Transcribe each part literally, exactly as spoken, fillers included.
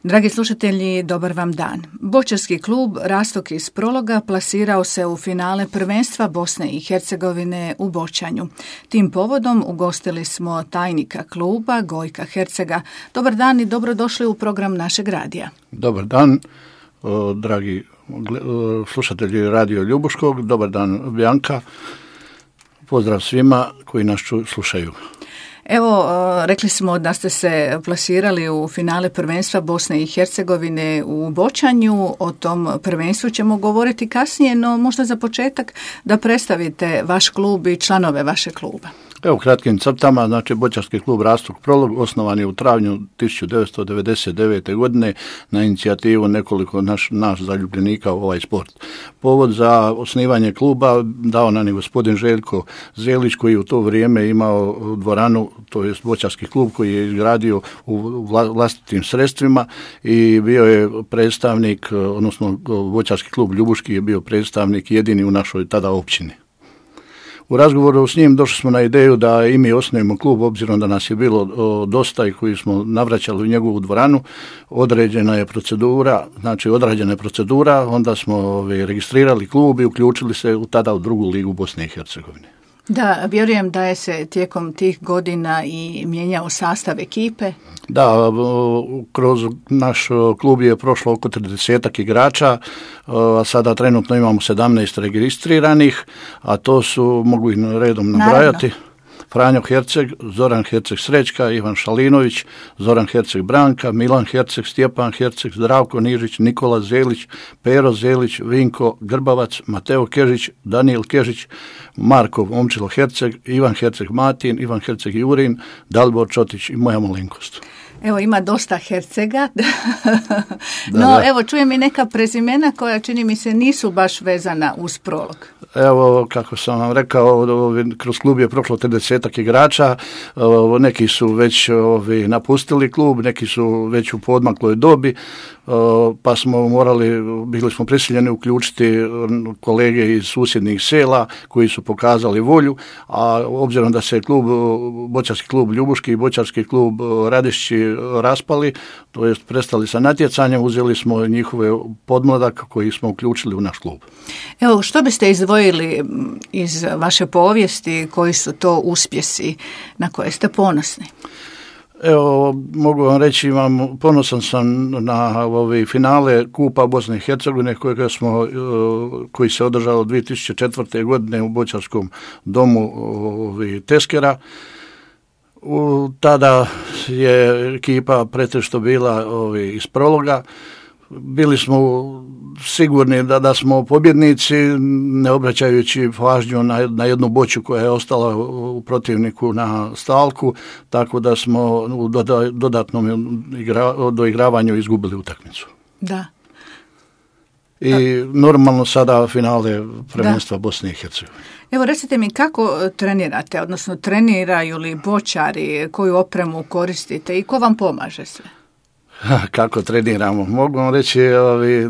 Dragi slušatelji, dobar vam dan. Boćarski klub Rastok iz Prologa plasirao se u finale prvenstva Bosne i Hercegovine u Boćanju. Tim povodom ugostili smo tajnika kluba Gojka Hercega. Dobar dan i dobrodošli u program našeg radija. Dobar dan, dragi slušatelji Radio Ljubuškog. Dobar dan, Bjanka. Pozdrav svima koji nas slušaju. Evo, rekli smo da ste se plasirali u finale prvenstva Bosne i Hercegovine u Boćanju. O tom prvenstvu ćemo govoriti kasnije, no možda za početak da predstavite vaš klub i članove vašeg kluba. Evo, u kratkim crtama, znači Boćarski klub Rastok Prolog osnovan je u travnju tisuću devetsto devedeset devete. godine na inicijativu nekoliko naš, naš zaljubljenika u ovaj sport. Povod za osnivanje kluba dao nam je gospodin Željko Zelić, koji u to vrijeme imao dvoranu, to je Boćarski klub koji je izgradio u vlastitim sredstvima i bio je predstavnik, odnosno Boćarski klub Ljubuški je bio predstavnik jedini u našoj tada općini. U razgovoru s njim došli smo na ideju da i mi osnujemo klub, obzirom da nas je bilo o, dosta i koji smo navraćali u njegovu dvoranu. Određena je procedura, znači odrađena je procedura, onda smo ove, registrirali klub i uključili se u, tada u drugu ligu Bosne i Hercegovine. Da, vjerujem da je se tijekom tih godina i mijenjao sastav ekipe. Da, kroz naš klub je prošlo oko tridesetak igrača, a sada trenutno imamo sedamnaest registriranih, a to su, mogu ih redom nabrajati. Naravno. Franjo Herceg, Zoran Herceg Srećka, Ivan Šalinović, Zoran Herceg Branka, Milan Herceg, Stjepan Herceg, Zdravko Nižić, Nikola Zelić, Pero Zelić, Vinko Grbavac, Mateo Kežić, Daniel Kežić, Marko Momčilo Herceg, Ivan Herceg Matin, Ivan Herceg Jurin, Dalibor Čotić i moja malenkost. Evo, ima dosta Hercega, no da. Evo čujem i neka prezimena koja čini mi se nisu baš vezana uz Prolog. Evo, kako sam vam rekao, kroz klub je prošlo tridesetak igrača, neki su već ovi, napustili klub, neki su već u poodmakloj dobi, pa smo morali, bili smo prisiljeni uključiti kolege iz susjednih sela koji su pokazali volju, a obzirom da se klub, Boćarski klub Ljubuški i Boćarski klub Radišći raspali, to jest prestali sa natjecanjem, uzeli smo njihove podmladak koji smo uključili u naš klub. Evo, što biste izdvojili iz vaše povijesti, koji su to uspjesi na koje ste ponosni? Evo, mogu vam reći, imam, ponosan sam na ove finale Kupa Bosne i Hercegovine kojega smo, koji se održao dvije tisuće četvrte. godine u Boćarskom domu ovi, Teskera. U, tada je ekipa pretežito bila ovi, iz Prologa. Bili smo sigurni da, da smo pobjednici, ne obraćajući pažnju na, na jednu boću koja je ostala u protivniku na stalku, tako da smo u doda, dodatnom igra, doigravanju izgubili utakmicu. Da. I normalno sada finale prvenstva da. Bosne i Hercegovine. Evo, recite mi kako trenirate, odnosno treniraju li boćari, koju opremu koristite i ko vam pomaže sve? Kako treniramo? Mogu vam reći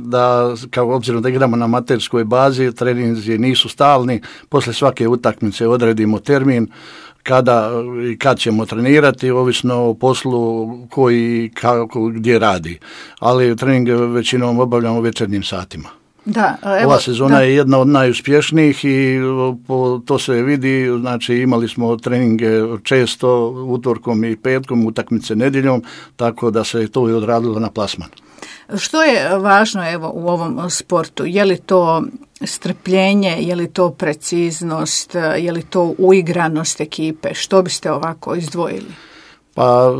da, kao obzirom da igramo na amaterskoj bazi, treninzi nisu stalni, poslije svake utakmice odredimo termin kada i kad ćemo trenirati, ovisno o poslu koji kako gdje radi, ali treninge većinom obavljamo u večernjim satima. Da, evo, ova sezona da. je jedna od najuspješnijih i po, to se vidi, znači imali smo treninge često utorkom i petkom, utakmice nedjeljom, tako da se to i odradilo na plasman. Što je važno evo u ovom sportu? Je li to strpljenje, je li to preciznost, je li to uigranost ekipe? Što biste ovako izdvojili? Pa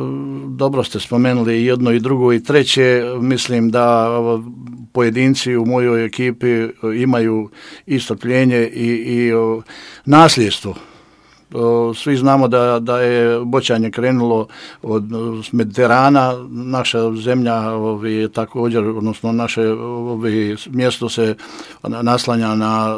dobro ste spomenuli jedno i drugo i treće. Mislim da pojedinci u mojoj ekipi imaju i strpljenje i, i nasljedstvo. Svi znamo da, da je boćanje krenulo od Mediterana, naša zemlja ovi, također, odnosno naše ovi, mjesto se naslanja na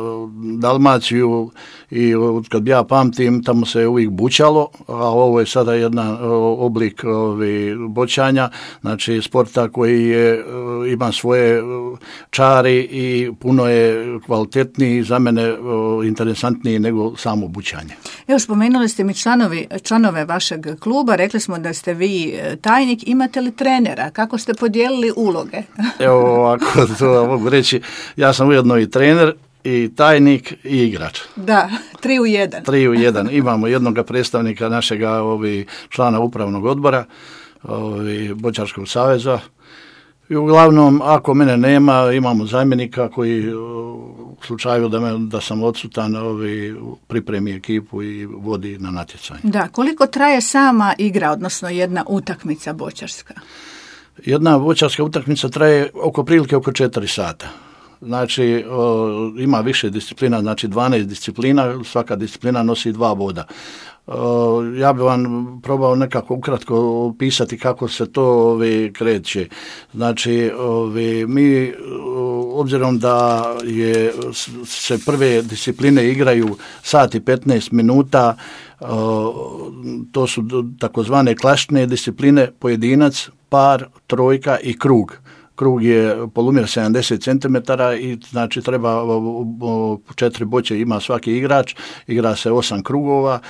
Dalmaciju i kad ja pamtim tamo se uvijek bućalo, a ovo je sada jedan oblik ovi, boćanja, znači sporta koji je, ima svoje čari i puno je kvalitetniji, za mene interesantniji nego samo bućanje. Evo, spomenuli ste mi članovi, članove vašeg kluba, rekli smo da ste vi tajnik, imate li trenera? Kako ste podijelili uloge? Evo ovako, to mogu reći, ja sam ujedno i trener, i tajnik i igrač. Da, tri u jedan. Tri u jedan. Imamo jednog predstavnika našega ovi, člana upravnog odbora ovi, Boćarskog saveza. I uglavnom, ako mene nema, imamo zamjenika koji u slučaju da, me, da sam odsutan ovi, pripremi ekipu i vodi na natjecanje. Da, koliko traje sama igra, odnosno jedna utakmica boćarska? Jedna boćarska utakmica traje oko prilike oko četiri sata. Znači, o, ima više disciplina, znači dvanaest disciplina, svaka disciplina nosi dva boda. O, ja bih vam probao nekako ukratko opisati kako se to ovi, kreće. Znači, ovi, mi, obzirom da je, se prve discipline igraju sat i petnaest minuta, o, to su takozvane klasične discipline, pojedinac, par, trojka i krug. Krug je polumjer sedamdeset centimetara i znači treba četiri boće ima svaki igrač, igra se osam krugova,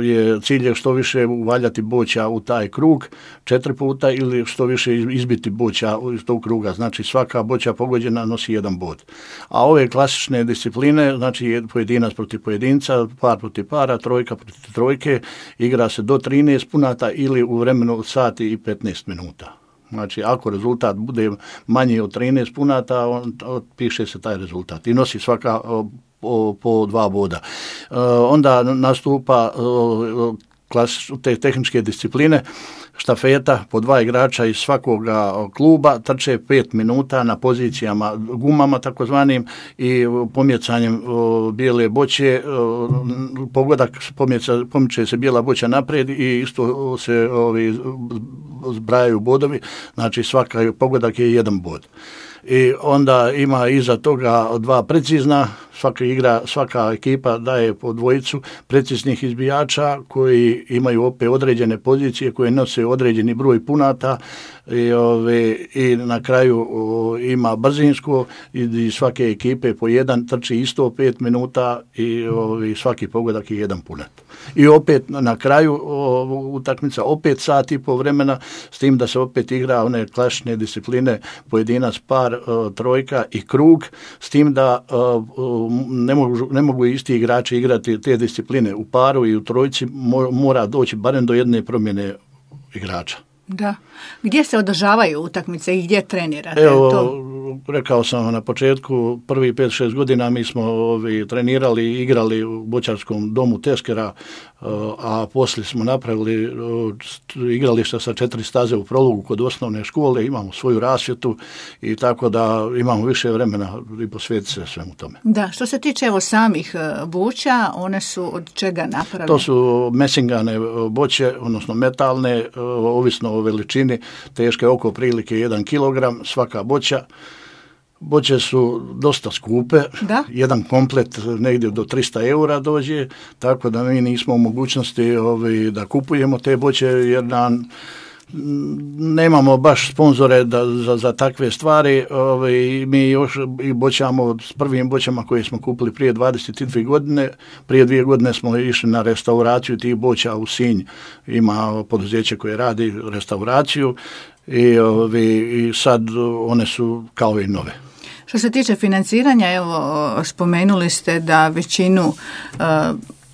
je cilj je što više uvaljati boća u taj krug četiri puta ili što više izbiti boća iz tog kruga, znači svaka boća pogođena nosi jedan bod. A ove klasične discipline, znači pojedinac protiv pojedinca, par protiv para, trojka protiv trojke, igra se do trinaest punata ili u vremenu sati i petnaest minuta. Znači, ako rezultat bude manji od trinaest punata, on, piše se taj rezultat i nosi svaka o, o, po dva boda. E, onda nastupa o, klas, te tehničke discipline, štafeta po dva igrača iz svakoga kluba, trče pet minuta na pozicijama gumama takozvanim i pomjecanjem o, bijele boće, o, pogodak pomjeca, pomiče se bijela boća naprijed i isto se ovi zbrajaju bodovi, znači svaka pogodak je jedan bod. I onda ima iza toga dva precizna, svaka igra, svaka ekipa daje po dvojicu preciznih izbijača koji imaju opet određene pozicije koje nose određeni broj punata i, ove, i na kraju o, ima brzinsko i, i svake ekipe po jedan trči isto pet minuta i ove, svaki pogodak je jedan punat. I opet na kraju o, utakmica opet sat i po vremena s tim da se opet igra one klasične discipline pojedinac, par, o, trojka i krug s tim da o, o, ne mogu, ne mogu isti igrači igrati te discipline u paru i u trojci, mora doći barem do jedne promjene igrača. Da. Gdje se održavaju utakmice i gdje trenirate? Evo, to? Rekao sam na početku, prvi pet šest godina mi smo ovi, trenirali i igrali u boćarskom domu Teskera, a poslije smo napravili igrališta sa četiri staze u Prologu kod osnovne škole, imamo svoju rasvjetu i tako da imamo više vremena i posvetiti se svemu tome. Da, što se tiče evo samih boća, one su od čega napravljene? To su mesingane boće, odnosno metalne, ovisno o veličini, teške oko prilike jedan kilogram svaka boća. Boće su dosta skupe, da? Jedan komplet negdje do tristo eura dođe, tako da mi nismo u mogućnosti ovi, da kupujemo te boće jer nam nemamo baš sponzore da, za, za takve stvari. Ovi, mi još i boćamo s prvim boćama koje smo kupili prije dvadeset dvije godine. Prije dvije godine smo išli na restauraciju tih boća u Sinj. Ima poduzeće koje radi restauraciju i, ovi, i sad one su kao i nove. Što se tiče financiranja, evo spomenuli ste da većinu uh,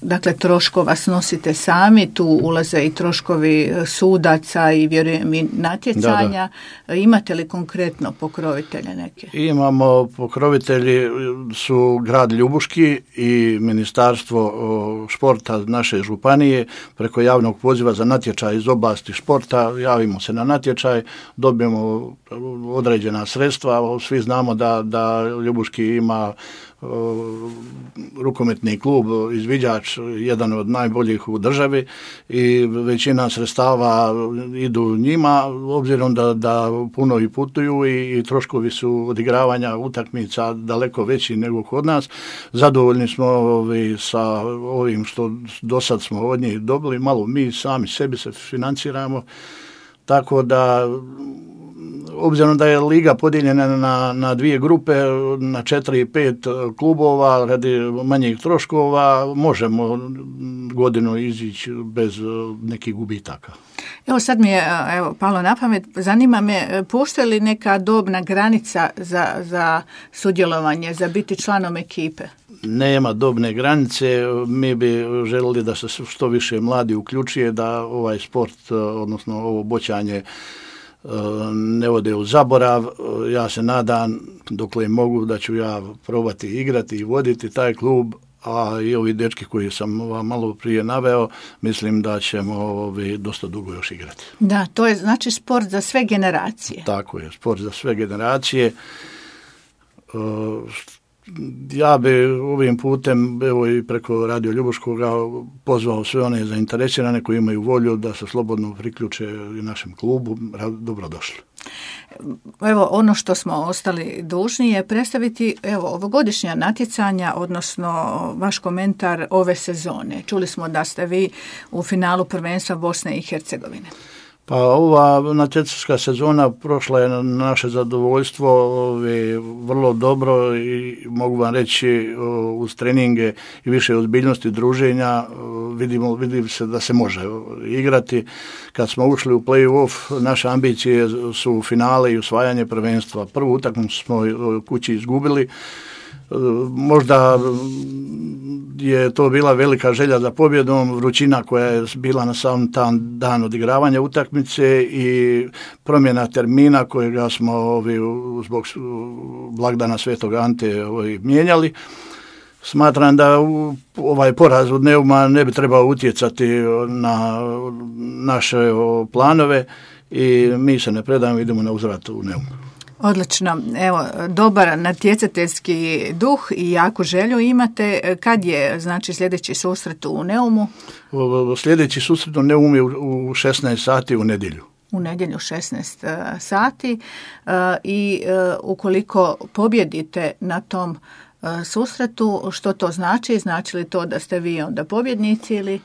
dakle troškova snosite sami, tu ulaze i troškovi sudaca i vjerujem i natjecanja. Da, da. Imate li konkretno pokrovitelje neke? Imamo, pokrovitelji su grad Ljubuški i Ministarstvo športa naše županije preko javnog poziva za natječaj iz oblasti športa. Javimo se na natječaj, dobijemo određena sredstva, svi znamo da, da Ljubuški ima rukometni klub Izviđač, jedan od najboljih u državi i većina sredstava idu njima, obzirom da, da puno i putuju i, i troškovi su odigravanja utakmica daleko veći nego kod nas. Zadovoljni smo ovi, sa ovim što do sad smo od njih dobili, malo mi sami sebi se financiramo, tako da obzirom da je liga podijeljena na, na dvije grupe, na četiri i pet klubova, radi manjih troškova, možemo godinu izići bez nekih gubitaka. Evo sad mi je evo, palo na pamet, zanima me, postoji li neka dobna granica za, za sudjelovanje, za biti članom ekipe? Nema dobne granice, mi bi željeli da se što više mladi uključuje, da ovaj sport, odnosno ovo boćanje, ne ode u zaborav. Ja se nadam, dokle mogu, da ću ja probati igrati i voditi taj klub, a i ovi dečki koji sam vam malo prije naveo, mislim da ćemo ovi dosta dugo još igrati. Da, to je znači sport za sve generacije. Tako je, sport za sve generacije. Ja bi ovim putem, evo i preko Radio Ljubuškoga, pozvao sve one zainteresirane koji imaju volju da se slobodno priključe i našem klubu. Dobrodošli. Evo, ono što smo ostali dužni je predstaviti evo, ovogodišnja natjecanja, odnosno vaš komentar ove sezone. Čuli smo da ste vi u finalu prvenstva Bosne i Hercegovine. Pa ova natjecačka sezona prošla je na naše zadovoljstvo ovi, vrlo dobro i mogu vam reći uz treninge i više ozbiljnosti druženja vidimo, vidimo se da se može igrati. Kad smo ušli u play-off, naše ambicije su finale i osvajanje prvenstva. Prvu utakmicu smo kući izgubili. Možda je to bila velika želja za pobjedom, vrućina koja je bila na sam tam dan odigravanja utakmice i promjena termina kojega smo ovi, zbog blagdana Svetog Ante ovi, mijenjali. Smatram da ovaj poraz od Neuma ne bi trebao utjecati na naše planove i mi se ne predajemo, idemo na uzvrat u Neum. Odlično. Evo, dobar natjecateljski duh i jaku želju imate. Kad je, znači, sljedeći susret u Neumu? Sljedeći susret u Neumu je u šesnaest sati u nedjelju. U nedjelju šesnaest sati i ukoliko pobjedite na tom susretu, što to znači? Znači li to da ste vi onda pobjednici ili?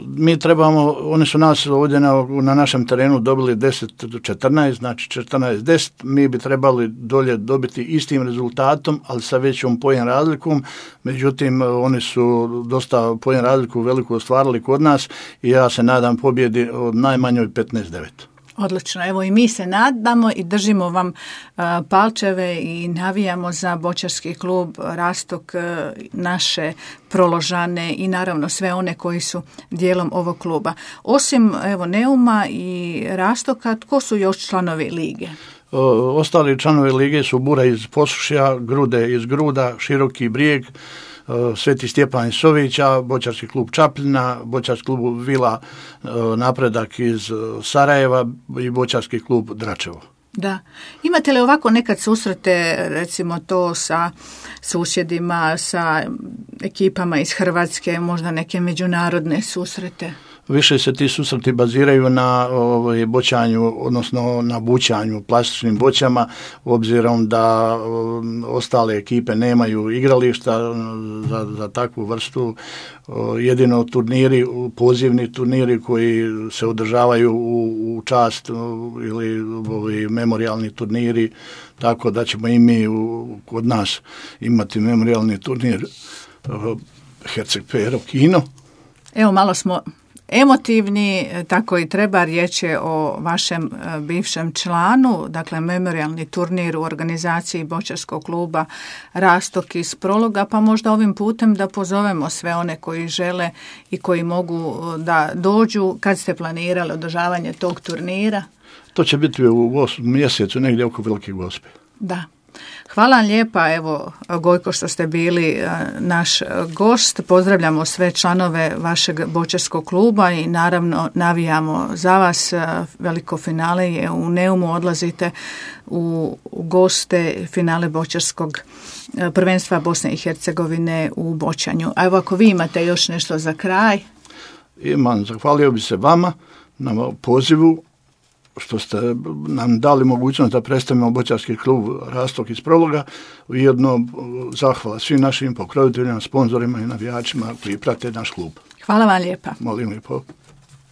Mi trebamo, oni su nas ovdje na, na našem terenu dobili deset četrnaest, znači četrnaest deset, mi bi trebali dolje dobiti istim rezultatom, ali sa većom pojen razlikom, međutim oni su dosta pojen razliku veliku ostvarili kod nas i ja se nadam pobjedi od najmanjoj petnaest devet. Odlično, evo i mi se nadamo i držimo vam uh, palčeve i navijamo za boćarski klub Rastok, uh, naše Proložane i naravno sve one koji su dijelom ovog kluba. Osim evo Neuma i Rastoka, tko su još članovi lige? O, ostali članovi lige su Bura iz Posušja, Grude iz Gruda, Široki Brijeg, Sveti Stjepan iz Sovića, boćarski klub Čapljina, boćarski klub Vila Napredak iz Sarajeva i boćarski klub Dračevo. Da. Imate li ovako nekad susrete, recimo to sa susjedima, sa ekipama iz Hrvatske, možda neke međunarodne susrete? Više se ti susreti baziraju na ovaj, boćanju, odnosno na bućanju plastičnim boćama, obzirom da um, ostale ekipe nemaju igrališta za, za takvu vrstu. O, jedino turniri, pozivni turniri koji se održavaju u, u čast o, ili ovi memorijalni turniri, tako da ćemo i mi u, kod nas imati memorijalni turnir o, Herceg Pero Kino. Evo malo smo emotivni, tako i treba, riječ je o vašem bivšem članu, dakle memorijalni turnir u organizaciji boćarskog kluba Rastok iz Prologa, pa možda ovim putem da pozovemo sve one koji žele i koji mogu da dođu. Kad ste planirali održavanje tog turnira? To će biti u osmom mjesecu, negdje oko Velike Gospe. Da. Hvala vam lijepa, evo Gojko, što ste bili naš gost. Pozdravljamo sve članove vašeg boćarskog kluba i naravno navijamo za vas. Veliko finale je u Neumu, odlazite u goste finale boćarskog prvenstva Bosne i Hercegovine u boćanju. A evo ako vi imate još nešto za kraj. Imam, zahvalio bi se vama na pozivu što ste nam dali mogućnost da predstavimo boćarski klub Rastok iz Prologa. Ujedno zahvala svim našim pokroviteljima, sponzorima i navijačima koji prate naš klub. Hvala vam lijepa. Molim lijepo.